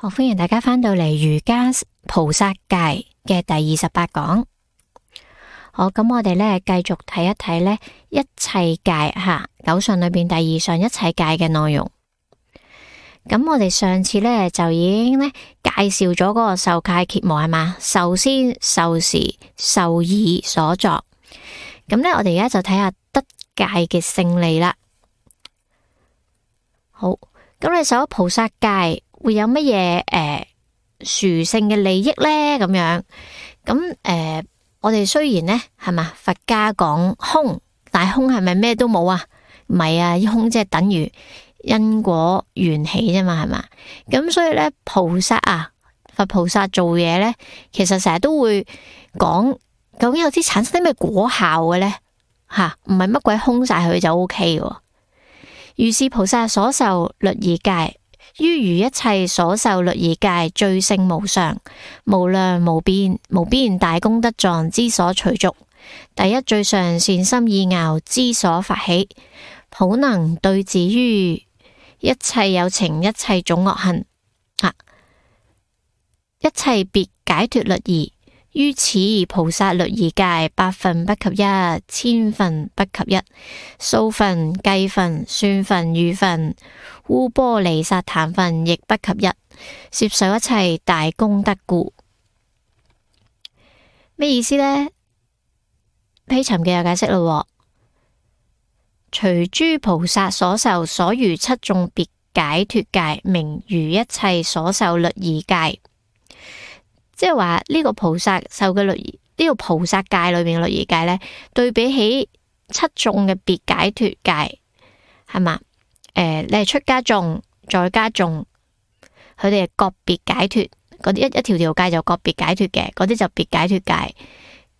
好，歡迎大家返到嚟瑜伽菩薩戒嘅第28講。好，咁我哋咧繼續睇一睇咧一切戒九相裏邊第2相一切戒嘅內容。咁我哋上次咧就已經咧介紹咗嗰個受戒羯磨係嘛？受先、受時、受已所作。咁咧我哋而家就睇下得戒嘅勝利啦。好，咁你受咗菩薩戒會有乜嘢殊勝嘅利益呢？咁樣咁我哋雖然呢係嘛，佛家講空，但係空係咪咩都冇啊？唔係啊，空即係等於因果緣起啫嘛，係嘛？咁所以呢，菩薩佛菩薩做嘢呢，其實成日都會講究竟有啲產生啲咩果效嘅呢？唔係乜鬼空晒佢就 OK 嘅。如是菩薩所受律儀戒，於如一切所受律儀戒最勝無上、無量無邊大功德狀之所隨逐，第一最上善心意樂之所發起，普能對治於一切有情一切種惡行，一切別解脫律儀，於此菩薩律儀戒百分不及一，千分不及一，數分、計分、算分、喻分、烏波離薩壇分亦不及一，攝受一切大功德故。咩意思呢？披尋嘅有解釋咯。隨諸菩薩所受所餘7種別解脫戒，名如一切所受律儀戒。即係話呢個菩薩受嘅律儀，呢個菩薩戒裏面嘅律儀戒呢，對比起7種嘅別解脫戒，係嘛？你係出家眾、在家眾，佢哋係個別解脫，嗰啲一條條戒就個別解脫嘅，嗰啲就別解脫戒。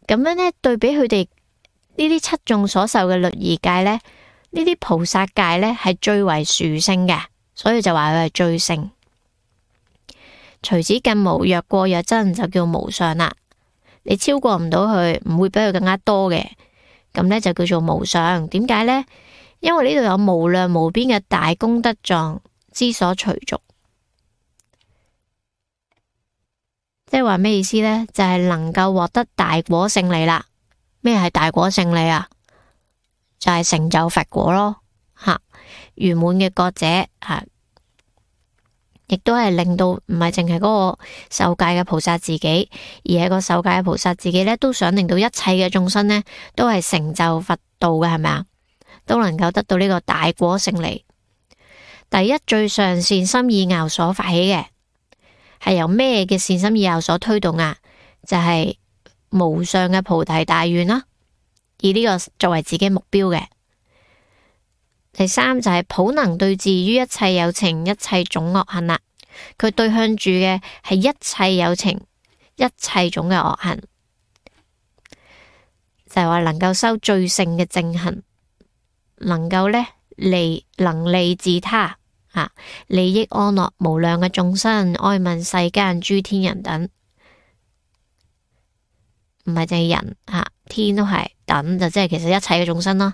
咁樣呢，對比佢哋呢啲7種所受嘅律儀戒呢，呢啲菩薩戒呢係最為殊勝嘅，所以就話佢係最勝。除此更無，若過若增就叫無上啦。你超過唔到佢，唔會比佢更加多嘅，咁呢就叫做無上。點解呢？因為呢度有無量無邊嘅大功德狀之所隨逐。即係話咩意思呢？就係能夠獲得大果勝利啦。咩係大果勝利啊？就係成就佛果咯，圓滿嘅覺者亦都係令到唔係淨係嗰個受戒嘅菩薩自己，而係個受戒嘅菩薩自己呢，都想令到一切嘅眾生呢，都係成就佛道嘅，係咪啊？都能夠得到呢個大果勝利。第一最上善心意樂所發起嘅，係由咩嘅善心意樂所推動啊？就係無上嘅菩提大願啦，以呢個作為自己目標嘅。第三就係普能對治於一切有情一切種惡行啦，佢對向住嘅係一切有情一切種嘅惡行，就係話能夠修最勝嘅正行，能夠呢能利自他利益安樂無量嘅眾生，哀憫世間諸天人等，唔係淨係人天都係等，就即係其實一切嘅眾生咯。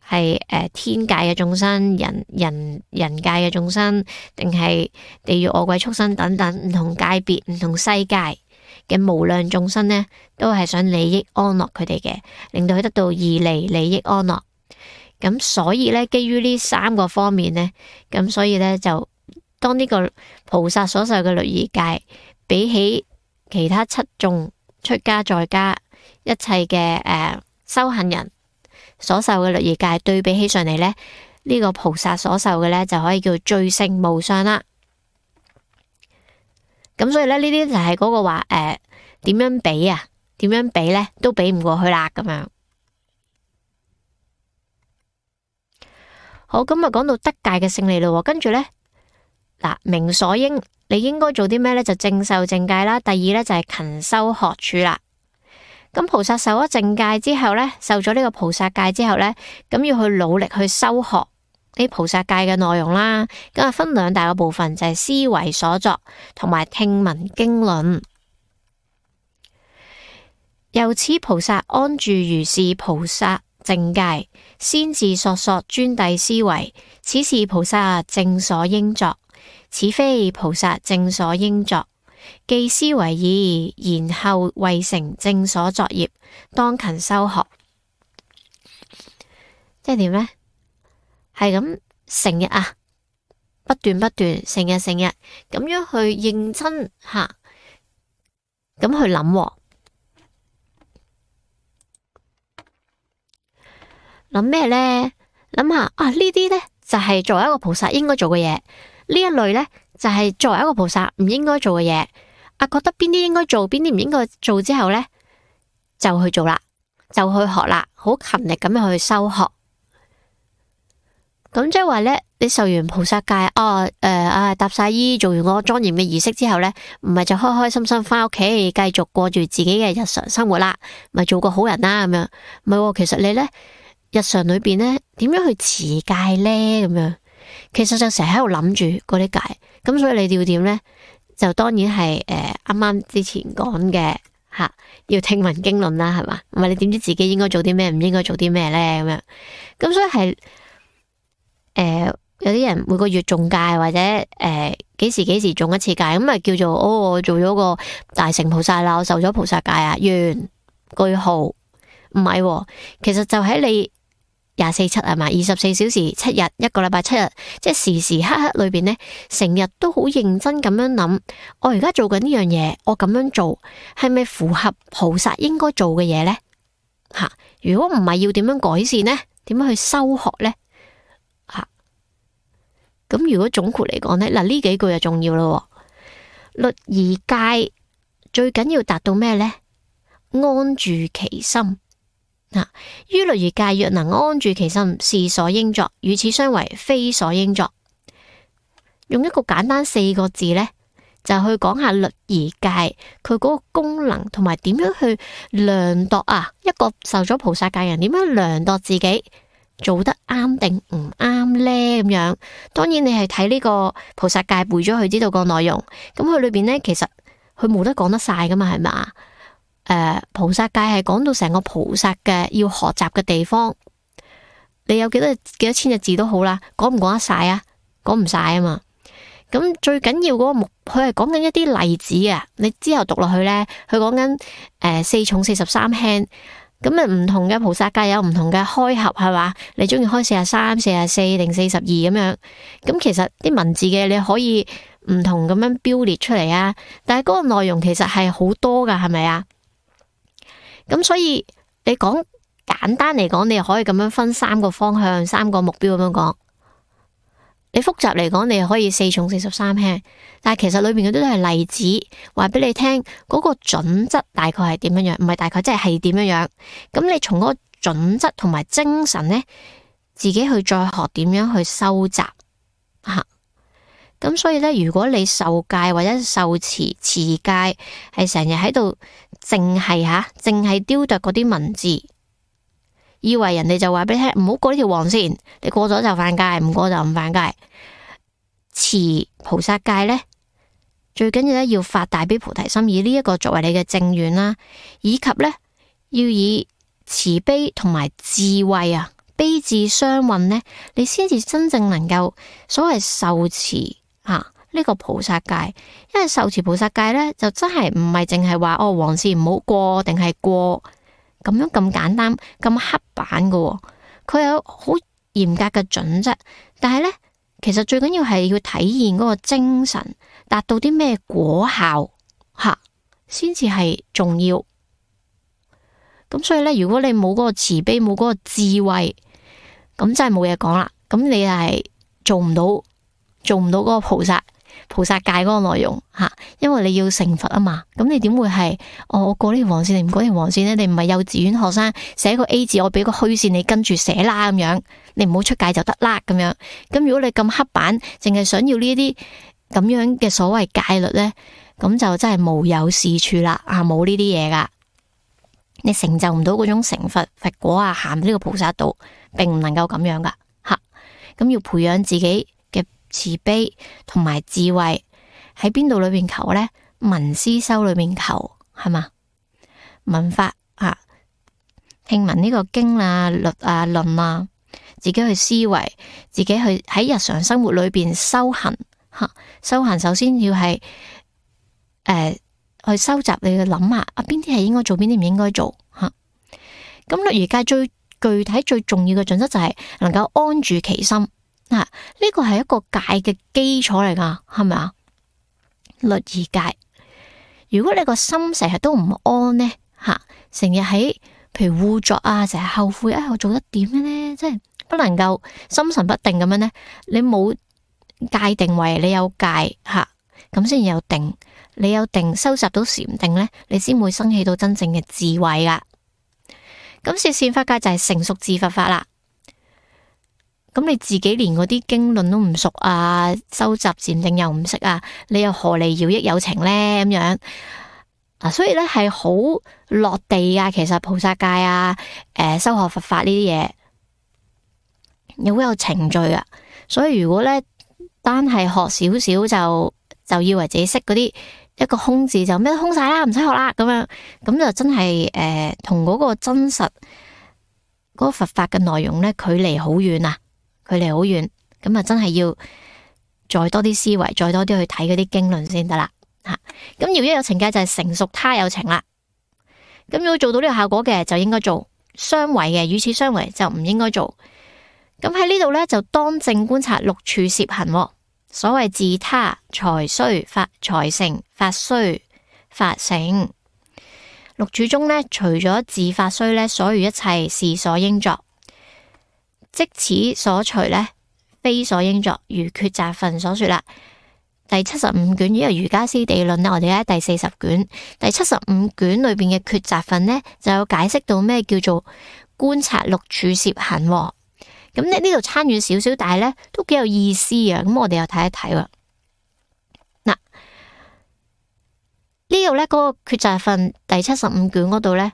係天界嘅眾生、人界嘅眾生，定係地獄惡鬼畜生等等唔同界別、唔同世界嘅無量眾生呢，都係想利益安樂佢哋嘅，令到佢得到義利益安樂。咁所以呢，基於呢3個方面呢，咁所以呢，就當呢個菩薩所受嘅律儀戒，比起其他7種出家在家一切嘅修行人所受嘅律儀戒對比起上嚟呢，呢個菩薩所受嘅呢，就可以叫最勝無上啦。咁所以呢，呢啲就係嗰個話點樣比啊？點樣比呢？都比唔過去啦咁樣。好，咁啊講到得戒嘅勝利咯，跟住呢，明所應，你應該做啲咩呢？就正受正戒啦。第二呢，就係勤修學處啦。咁菩薩受咗正戒之後呢，受咗呢個菩薩戒之後呢，咁要去努力去修學呢菩薩戒嘅內容啦。咁啊分2大個部分，就係思維所作同埋聽聞經論。由此菩薩安住如是菩薩正戒，先自索專諦思維，此是菩薩正所應作。此非菩薩正所應作。既思為義，然後為成正所作業，當勤修學。即係點呢？係咁成日啊，不斷成日咁樣去認真吓，咁去諗咩呢？諗下啊，呢啲呢就係作為一個菩薩應該做嘅嘢，呢一類呢就係作為一個菩薩唔應該做嘅嘢。啊，覺得邊啲應該做，邊啲唔應該做之後呢，就去做啦，就去學啦，好勤力咁樣去修學。咁即係話呢，你受完菩薩戒，搭晒衣，做完個莊嚴嘅儀式之後呢，唔係就開開心心翻屋企，繼續過住自己嘅日常生活啦，咪做個好人啦咁樣。唔係，其實你呢，日常裏邊呢，點樣去持戒呢？咁樣，其實就成日喺度諗住嗰啲戒。咁所以你要點呢？就當然係啱啱之前講嘅吓，要聽聞經論啦，係嘛？唔係你點知自己應該做啲咩，唔應該做啲咩呢？咁樣。咁所以係有啲人每個月中戒，或者幾時中一次戒，咁咪叫做我做咗個大乘菩薩啦，我受咗菩薩戒啊，完句號。唔係，其實就喺你24/7係嘛，24小時7日，一個禮拜7日，即係時時刻刻裏邊呢，成日都好認真咁樣諗，我而家做緊呢樣嘢，我咁樣做係咪符合菩薩應該做嘅嘢呢？吓，如果唔係，要點樣改善呢？點樣去修學呢？吓，咁如果總括嚟講呢，嗱呢幾句就重要咯。律儀戒最緊要達到咩呢？安住其心。於律儀戒若能安住其心，是所應作；與此相違，非所應作。用一個簡單4個字呢，就去講下律儀戒佢嗰個功能，同埋點樣去量度啊，一個受咗菩薩戒人點樣量度自己做得啱定唔啱呢？咁樣，當然你係睇呢個菩薩戒背咗佢知道個內容，咁佢裏邊呢，其實佢冇得講得晒噶嘛，係嘛？菩薩戒係講到成個菩薩嘅要學習嘅地方，你有幾多千隻字都好啦，講唔講得晒啊？講唔晒啊嘛。咁最緊要嗰個佢係講緊一啲例子啊。你之後讀落去呢，佢講緊4重43輕，咁啊唔同嘅菩薩戒有唔同嘅開合係嘛？你中意開43、44定42咁樣。咁其實啲文字嘅你可以唔同咁樣標列出嚟啊。但係嗰個內容其實係好多噶，係咪啊？咁所以你講簡單嚟講，你可以咁樣分3個方向、3個目標咁樣講。你複雜嚟講，你可以4重43輕。但係其實裏面嗰啲都係例子，話俾你聽嗰個準則大概係點樣樣，唔係大概即係點樣樣。咁你從嗰個準則同埋精神呢，自己去再學點樣去收集吓。咁所以呢，如果你受戒或者受持戒，係成日喺度淨係雕琢嗰啲文字，以為人哋就話俾你聽唔好過呢條黃線，你過咗就犯戒，唔過就唔犯戒。持菩薩戒呢，最緊要咧要發大悲菩提心，以呢一個作為你嘅正願啦，以及呢，要以慈悲同埋智慧啊，悲智雙運呢，你先至真正能夠所謂受持呢個菩薩戒。因為受持菩薩戒呢，就真係唔係淨係話黃線唔好過定係過咁樣咁簡單咁刻板噶，佢有好嚴格嘅準則。但係呢，其實最緊要係要體現嗰個精神，達到啲咩果效先至係重要。咁所以呢，如果你冇嗰個慈悲，冇嗰個智慧，咁真係冇嘢講啦。咁你係做唔到嗰個菩薩戒嗰個內容因為你要成佛啊嘛。咁你點會係我過呢條黃線，你唔過呢條黃線呢？你唔係幼稚園學生寫個 A 字，我俾個虛線你跟住寫啦咁樣，你唔好出界就得啦咁樣。咁如果你咁刻板，淨係想要呢啲咁樣嘅所謂戒律呢，咁就真係無有是處啦冇呢啲嘢噶，你成就唔到嗰種成佛果行呢個菩薩道，並唔能夠咁樣噶咁要培養自己嘅慈悲同埋智慧，喺邊度裏邊求呢？聞思修裏邊求係嘛？聞法聽聞呢個經律論自己去思維，自己去喺日常生活裏邊修行修行首先要係去收集，你去諗下邊啲係應該做，邊啲唔應該做吓。咁律儀戒最具體最重要嘅準則就係能夠安住其心呢個係一個戒嘅基礎嚟噶，係咪啊？律儀戒，如果你個心成日都唔安呢，成日喺譬如污作成日後悔我做得點嘅呢？即係不能夠心神不定咁樣呢，你冇界定為你有戒咁先有定，你有定收集到禪定呢，你先會生起到真正嘅智慧噶。咁攝善法戒就係成熟自佛法啦。咁你自己連嗰啲經論都唔熟收集禪定又唔識你又何嚟饒益有情呢？咁樣所以咧係好落地噶。其實菩薩戒修學佛法呢啲嘢又好有程序噶。所以如果咧單係學少少就以為自己識嗰啲一個空字就咩都空晒啦，唔使學啦咁樣，咁就真係同嗰個真實嗰個佛法嘅內容咧距離好遠距離好遠。咁真係要再多啲思維，再多啲去睇嗰啲經論先得啦咁饒益有情戒就係成熟他有情啦。咁如果做到呢個效果嘅就應該做，相違嘅與此相違就唔應該做。咁喺呢度咧就當正觀察六處攝行。所謂自他財須法財成，法須法成。六處中呢，除咗自法須呢，所餘一切是所應作，即此所除呢，非所應作。如抉擇分所說啦。第75卷呢個瑜伽師地論呢，我哋喺第40卷第75卷裏邊嘅抉擇分呢，就有解釋到咩叫做觀察六處攝行。咁呢度參與少少，但係咧都幾有意思啊！咁我哋又睇一睇喎。嗱，呢度咧嗰個抉擇分第75卷嗰度咧，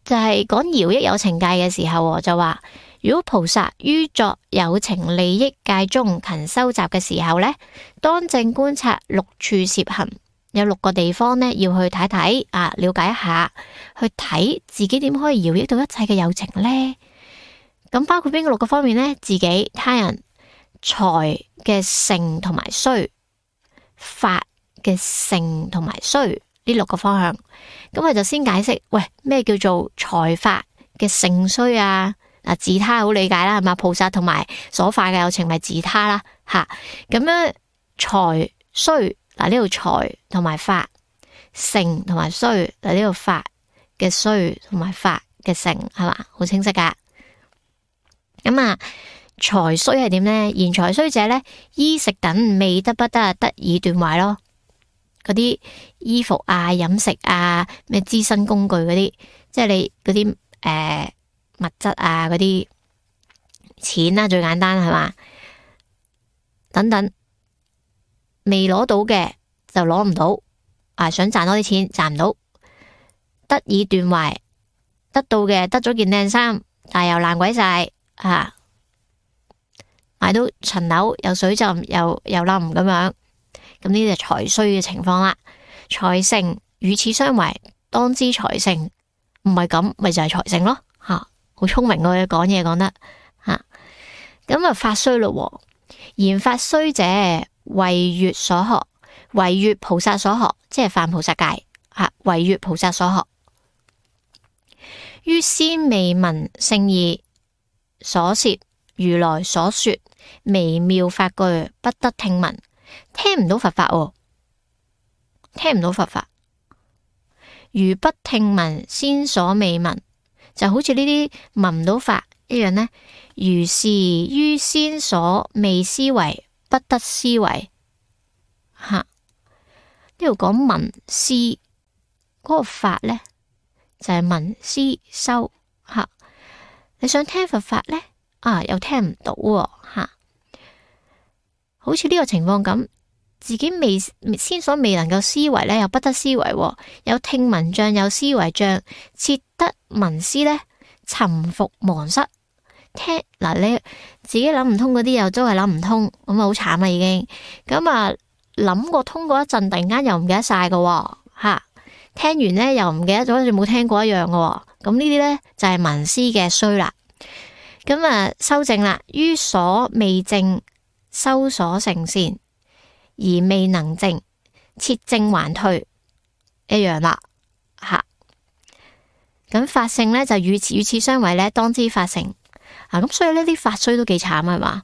就係講饒益有情戒嘅時候，就話如果菩薩於作有情利益戒中勤收集嘅時候咧，當正觀察六處攝行，有6個地方咧要去睇睇了解一下，去睇自己點可以饒益到一切嘅有情咧。咁包括邊個6個方面呢？自己、他人、財嘅成同埋衰，法嘅成同埋衰呢6個方向。咁我就先解釋，咩叫做財法嘅成衰自他好理解啦，係嘛？菩薩同埋所化嘅有情咪自他啦，咁樣財衰呢度財同埋法，成同埋衰呢度法嘅衰同埋法嘅成，係嘛？好清晰噶。咁財衰係點呢？言財衰者呢，衣食等未得不得，得以斷壞咯。嗰啲衣服飲食咩資身工具嗰啲，即係你嗰啲物質嗰啲錢最簡單係嘛？等等未攞到嘅就攞唔到，想賺多啲錢賺唔到，得以斷壞。得到嘅得咗件靚衫，但係又爛鬼晒。買到層樓有水浸又冧咁樣，咁呢啲就財衰嘅情況啦。財成與此相違，當知財成唔係咁，咪就係財成咯。好聰明嘅講嘢講得咁法衰咯。言法衰者違越所學，違越菩薩所學，即係犯菩薩戒違越菩薩所學。於先未聞聖義所攝如來所說微妙法句，不得聽聞，聽唔到佛法聽唔到佛法。如不聽聞先所未聞，就好似呢啲聞唔到法一樣呢。如是於先所未思維，不得思維。呢度講聞思嗰個法呢，就係聞思修你想聽佛法呢，又聽唔到好似呢個情況咁，自己先所未能夠思維呢，又不得思維，有聽聞障，有思維障，切得聞思呢，沉伏忘失。聽你自己諗唔通嗰啲，又都係諗唔通，咁好慘啊已經。咁諗過通過一陣，突然間又唔記得晒㗎聽完呢，又唔記得咗，好似冇聽過一樣㗎。咁呢啲呢，就係聞思嘅衰啦。咁修正啦，於所未證修所成善，而未能正，切正還退，一樣啦。吓，咁法性咧就與此相違咧，當知法成。咁所以呢啲法衰都幾慘係嘛？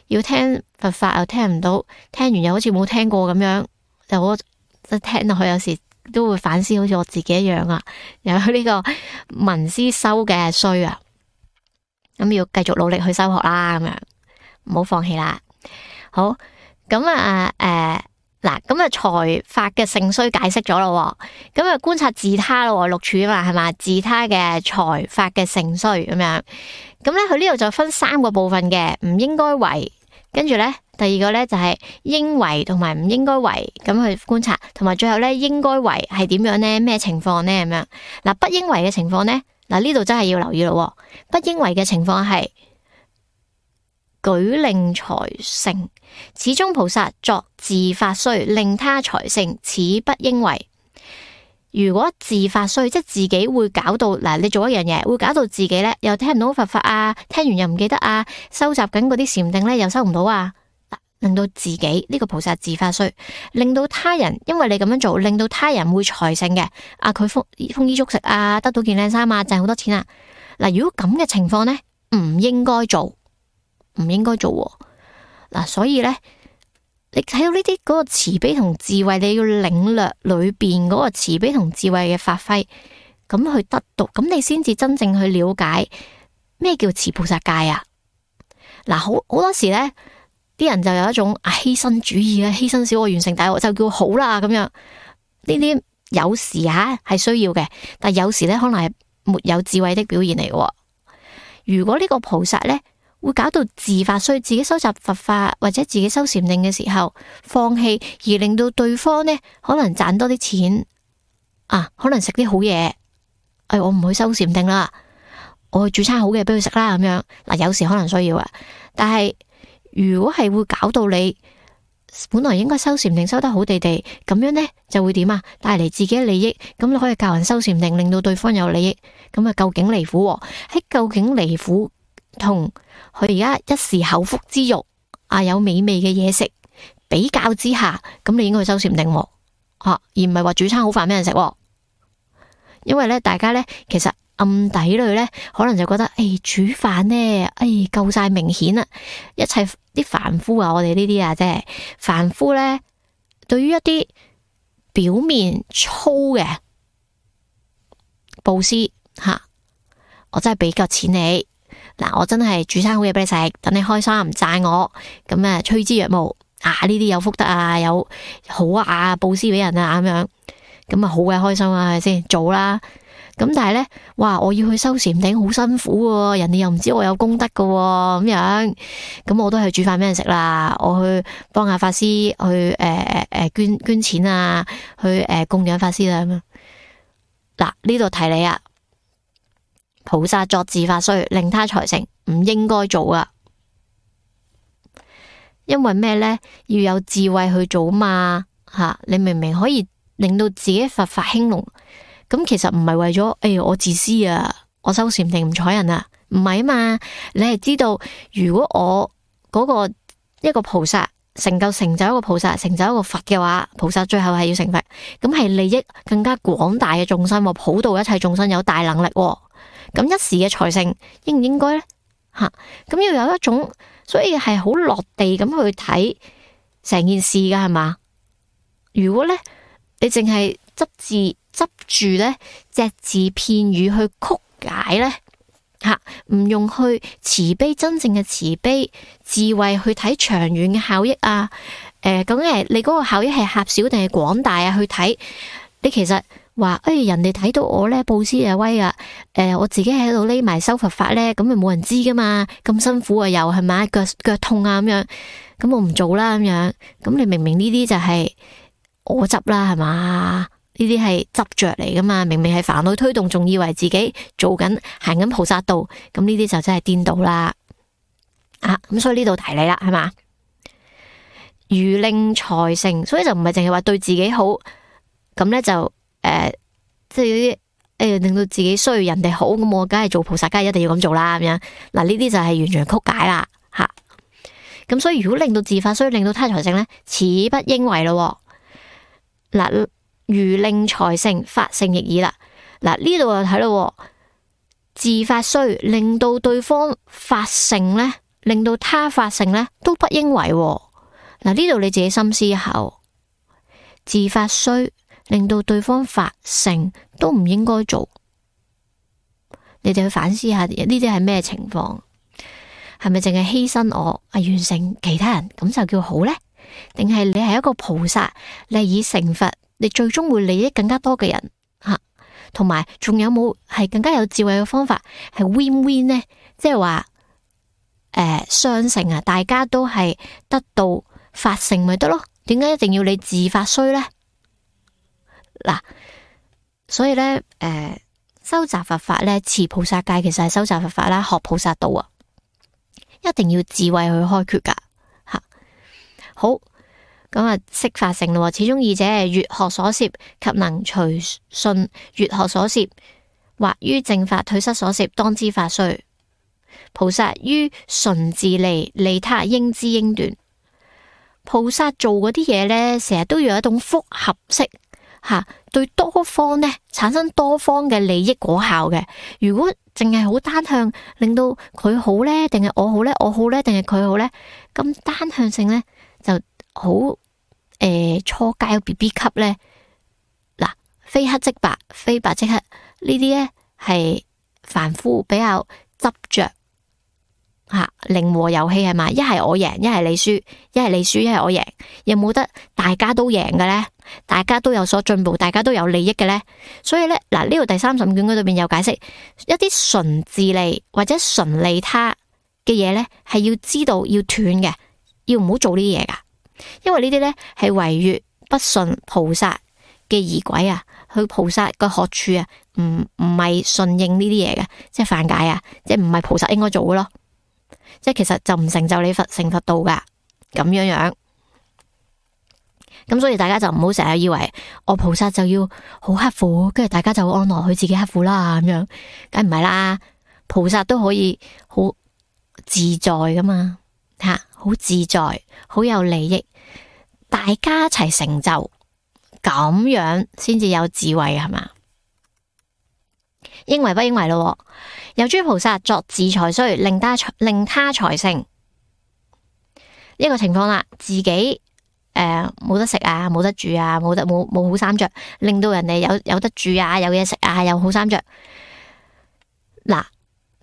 要聽佛法又聽唔到，聽完又好似冇聽過咁樣，就我聽落去有時都會反思，好似我自己一樣啊。有呢個聞思修嘅衰啊，咁要繼續努力去修學啦，咁樣唔好放棄啦。好，咁嗱，咁啊財法嘅盛衰解釋咗咯，咁啊觀察自他咯，六處啊嘛，係嘛，自他嘅財法嘅盛衰咁樣。咁咧佢呢度就分3個部分嘅，唔應該為，跟住咧第二個咧就係應為同埋唔應該為，咁去觀察，同埋最後咧應該為係點樣咧？咩情況咧？咁樣嗱，不應為嘅情況咧，嗱呢度真係要留意咯。不應為嘅情況係舉令財盛，此中菩薩作自法衰，令他財盛，此不應為。如果自法衰，即係自己會搞到嗱，你做一樣嘢會搞到自己咧又聽唔到佛法啊，聽完又唔記得啊，收集緊嗰啲禪定咧又收唔到啊，令到自己呢個菩薩自法衰，令到他人因為你咁樣做，令到他人會財盛嘅，佢豐衣足食啊，得到件靚衫啊，賺好多錢啊。嗱，如果咁嘅情況咧，唔應該做，唔應該做嗱，所以咧。你睇到呢啲嗰個慈悲同智慧，你要領略裏邊嗰個慈悲同智慧嘅發揮，咁去得到，咁你先至真正去了解咩叫持菩薩戒啊！嗱，好多時咧，啲人就有一種犧牲主義啊，犧牲小我完成大我就叫好啦咁樣。呢啲有時係需要嘅，但有時咧可能係沒有智慧的表現嚟嘅。如果呢個菩薩咧，會搞到自法衰，自己收集佛法或者自己修禪定嘅時候放棄，而令到對方呢可能賺多啲錢可能食啲好嘢，我唔去修禪定啦，我去煮餐好嘅俾佢食啦咁樣。嗱，有時可能需要啊，但係如果係會搞到你本來應該修禪定修得好地地咁樣呢，就會點啊？帶嚟自己嘅利益，咁你可以教人修禪定，令到對方有利益，咁究竟離苦喺究竟離苦同佢而家一時口腹之欲有美味嘅嘢食比較之下，咁你應該去修禪定而唔係話煮餐好飯俾人食。因為咧，大家咧其實暗底裏咧可能就覺得煮飯咧夠晒明顯啦，一切啲凡夫我哋呢啲即係凡夫咧，對於一啲表面粗嘅布施我真係俾夠錢你。嗱，我真係煮餐好嘢俾你食，等你開心，讚我，咁趨之若鶩呢啲有福德有好布施俾人咁樣，咁好鬼開心係咪先？做啦，咁但係咧，哇，我要去修禪定好辛苦喎，人哋又唔知我有功德噶咁樣，咁我都係煮飯俾人食啦，我去幫下法師去捐錢去供養法師啦咁樣。嗱，呢度提你啊。菩薩作自法衰，令他財盛，唔應該做啊！因為咩呢？要有智慧去做嘛你明明可以令到自己佛法興隆，咁其實唔係為咗我自私我修禪定唔睬人唔係嘛？你係知道，如果我嗰個一個菩薩成就一個菩薩，成就一個佛嘅話，菩薩最後係要成佛，咁係利益更加廣大嘅眾生，普渡一切眾生，有大能力咁一時嘅財盛應唔應該呢？咁要有一種，所以係好落地咁去睇成件事噶係嘛？如果呢，你淨係執住呢隻字片語去曲解呢，唔用去慈悲真正嘅慈悲智慧去睇長遠嘅效益究竟係你嗰個效益係狹小定係廣大去睇，你其實。話人哋睇到我咧布施威我自己喺度匿埋修佛法咧，咁咪冇人知噶嘛？咁辛苦又係咪腳痛咁樣，咁我唔做啦咁樣。咁你明明呢啲就係我執啦係嘛？呢啲係執着嚟噶嘛？明明係煩惱推動，仲以為自己做緊行緊菩薩道，咁呢啲就真係顛倒啦。咁所以呢度提你啦，係嘛？如令財盛，所以就唔係淨係話對自己好，咁咧就。即係啲令到自己衰，人哋好，咁我梗係做菩薩，梗係一定要咁做啦咁樣。嗱，呢啲就係完全曲解啦吓。咁所以如果令到自發衰，令到他財盛呢，此不應為咯。嗱，如令財盛，發盛亦爾啦。嗱，呢度就睇咯，自發衰令到對方發盛呢，令到他發盛呢，都不應為。嗱，呢度你自己深思一下，自發衰令到對方發盛都唔應該做。你哋去反思下呢啲係咩情況？係咪淨係犧牲我完成其他人咁就叫好呢？定係你係一個菩薩，你係以成佛，你最終會利益更加多嘅人吓？同埋仲有冇係更加有智慧嘅方法係 win win 呢？即係話雙成啊，大家都係得到發盛咪得咯？點解一定要你自發衰呢？嗱，所以呢，修習佛法呢，持菩薩戒其實係修習佛法啦，學菩薩道啊，一定要智慧去開決噶吓。好，咁啊，識發盛咯，始終二者係越學所攝及能隨順越學所攝，或於正法退失所攝，當知發衰。菩薩於純自利利他，應知應斷。菩薩做嗰啲嘢呢，成日都要有一種複合式吓，對多方呢產生多方嘅利益果效嘅。如果淨係好單向，令到佢好呢，定係我好呢？我好呢，定係佢好呢？咁單向性呢，就好初階 BB 級呢。嗱，非黑即白，非白即黑，呢啲呢係凡夫比較執着吓，零和遊戲係嘛？一係我贏，一係你輸，一係你輸，一係我贏，有冇得大家都贏嘅呢？大家都有所進步，大家都有利益嘅呢？所以呢，嗱，呢度第35卷嗰度邊有解釋一啲純自利或者純利他嘅嘢呢，係要知道要斷嘅，要唔好做呢啲嘢噶，因為呢啲呢係違越不順菩薩嘅儀軌啊，去菩薩嘅學處啊，唔係順應呢啲嘢嘅，即係犯戒啊，即係唔係菩薩應該做嘅咯。即係其實就唔成就你成佛道噶，咁樣樣。咁所以大家就唔好成日以為我菩薩就要好刻苦，跟住大家就安樂佢自己刻苦啦，咁樣梗唔係啦。菩薩都可以好自在噶嘛，吓，好自在，好有利益，大家一齊成就，咁樣先至有智慧係嘛？應為不應為咯。有諸菩薩作自財衰，令他財盛。呢個情況啦，自己冇得食啊，冇得住啊，冇好衫着，令到人哋有得住啊，有嘢食啊，有好衫着。嗱，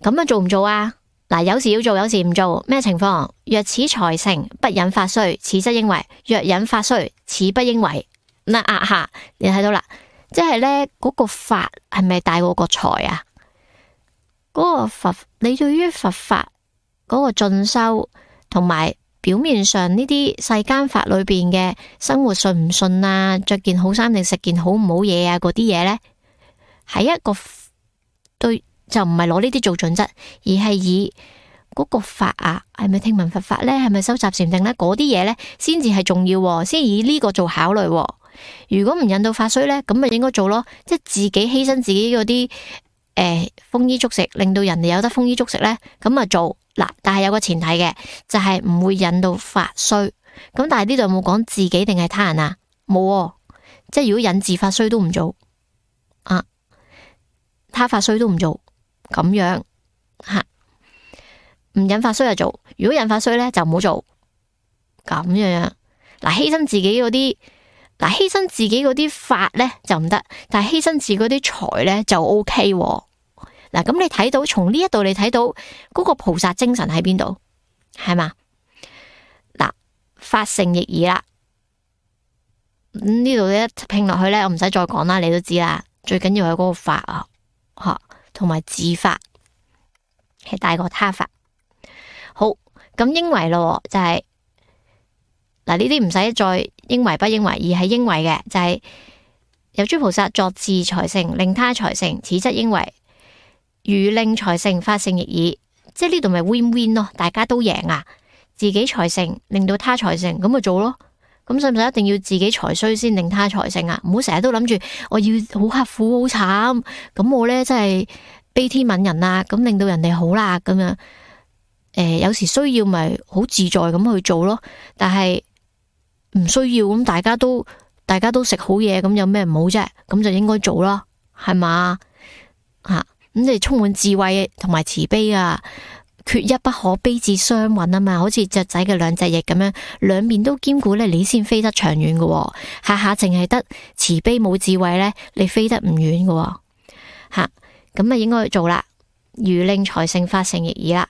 咁樣做唔做啊？嗱，有時要做，有時唔做。咩情況？若此財盛不引發衰，此則應為；若引發衰，此不應為。嗱下，你睇到啦，即係咧嗰個法係咪大過個財啊？嗰個佛，你對於佛法嗰個進修，同埋表面上呢啲世間法裏邊嘅生活順唔順啊，着件好衫定食件好唔好嘢啊，嗰啲嘢呢，係一個對，就唔係攞呢啲做準則，而係以嗰個法啊，係咪聽聞佛法呢？係咪修習禪定呢？嗰啲嘢呢，先至係重要，先以呢個做考慮。如果唔引到發衰呢，咁咪應該做咯，即係自己犧牲自己嗰啲豐衣足食，令到人哋有得豐衣足食呢，咁啊做嗱，但係有個前提嘅，就係唔會引到發衰。咁但係呢度有冇講自己定係他人啊？冇，即係如果引自發衰都唔做啊，他發衰都唔做，咁樣吓，唔引發衰就做，如果引發衰呢，就唔好做，咁樣嗱，犧牲自己嗰啲。嗱，犧牲自己嗰啲法咧就唔得，但係犧牲自己嗰啲財咧就 OK。嗱，咁你睇到從呢一度你睇到嗰個菩薩精神喺邊度，係嘛？嗱，發盛亦爾啦，呢度一拼落去咧，我唔使再講啦，你都知啦。最緊要係嗰個法啊，吓，同埋自法係大過他法。好，咁應為咯，就係。嗱，呢啲唔使再應為不應為，而係應為嘅，就係有諸菩薩作自財盛，令他財盛，此則應為。如令財盛，發盛亦爾，即係呢度咪 win win 咯，大家都贏啊！自己財盛，令到他財盛，咁咪做咯。咁使唔使一定要自己財衰先令他財盛啊？唔好成日都諗住我要好刻苦好慘，咁我呢真係悲天憫人啊，咁令到人哋好啦咁樣。有時需要咪好自在咁去做咯，但係唔需要咁大家都食好嘢，咁有咩唔好啫？咁就應該做咯，係嘛？咁你充滿智慧同埋慈悲啊，缺一不可，悲智雙運啊嘛，好似雀仔嘅兩隻翼咁樣，兩面都兼顧咧，你先飛得長遠嘅。下下淨係得慈悲冇智慧咧，你飛得唔遠嘅。咁啊應該去做啦。如令財成，法成亦爾啦。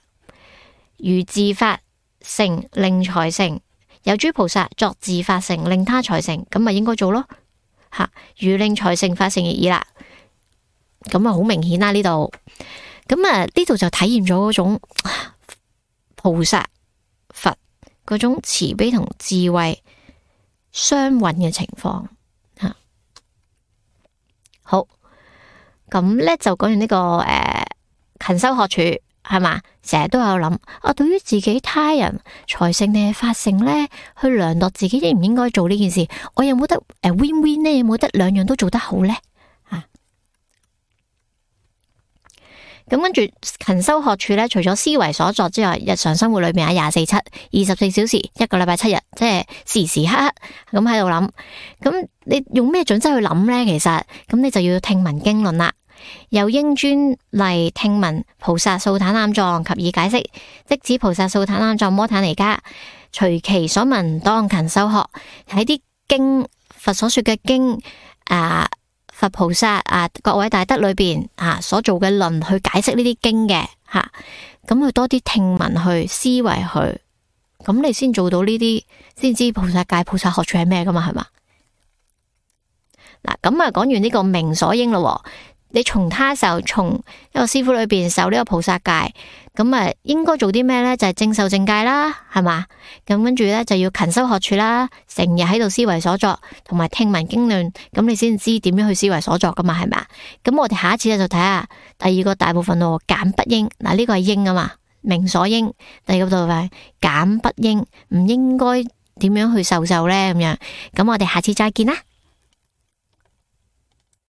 如自法成，令財成，有諸菩薩作自法成，令他財成，咁咪應該做咯。如令財成，法成亦爾啦。咁啊好明顯啦呢度。咁啊呢度就體現咗嗰種菩薩佛嗰種慈悲同智慧雙運嘅情況。好，咁咧就講完呢個勤修學處係嘛，成日都有諗對於自己他人財成定係法成咧，去量度自己應唔應該做呢件事，我有冇得win win 呢？有冇得兩樣都做得好咧？咁跟住勤修學處咧，除咗思維所作之外，日常生活裏面24/7、24小時，一個禮拜7日，即係時時刻刻咁喺度諗。咁你用咩準則去諗咧？其實咁你就要聽聞經論啦。又應專例聽聞菩薩素歎覽狀及以解釋，即指菩薩素歎覽狀摩怛尼迦，隨其所聞當勤修學。喺啲經佛所說嘅經佛菩薩各位大德裏邊所做嘅論去解釋呢啲經嘅咁去多啲聽聞去思維去，咁你先做到呢啲，先知菩薩戒菩薩學處係咩噶嘛，係嘛？咁啊講完呢個明所應咯。你從他受，從一個師父裏邊受呢個菩薩戒，咁啊應該做啲咩呢？就係正受正戒啦，係嘛？咁跟住呢，就要勤修學處啦，成日喺度思維所作，同埋聽聞經論，咁你先知點樣去思維所作噶嘛，係咪？咁我哋下一次咧就睇下第二個大部分咯，減不應。呢個係應啊嘛，明所應。第二個部分減不應，唔應該點樣去受呢？咁樣。咁我哋下次再見啦。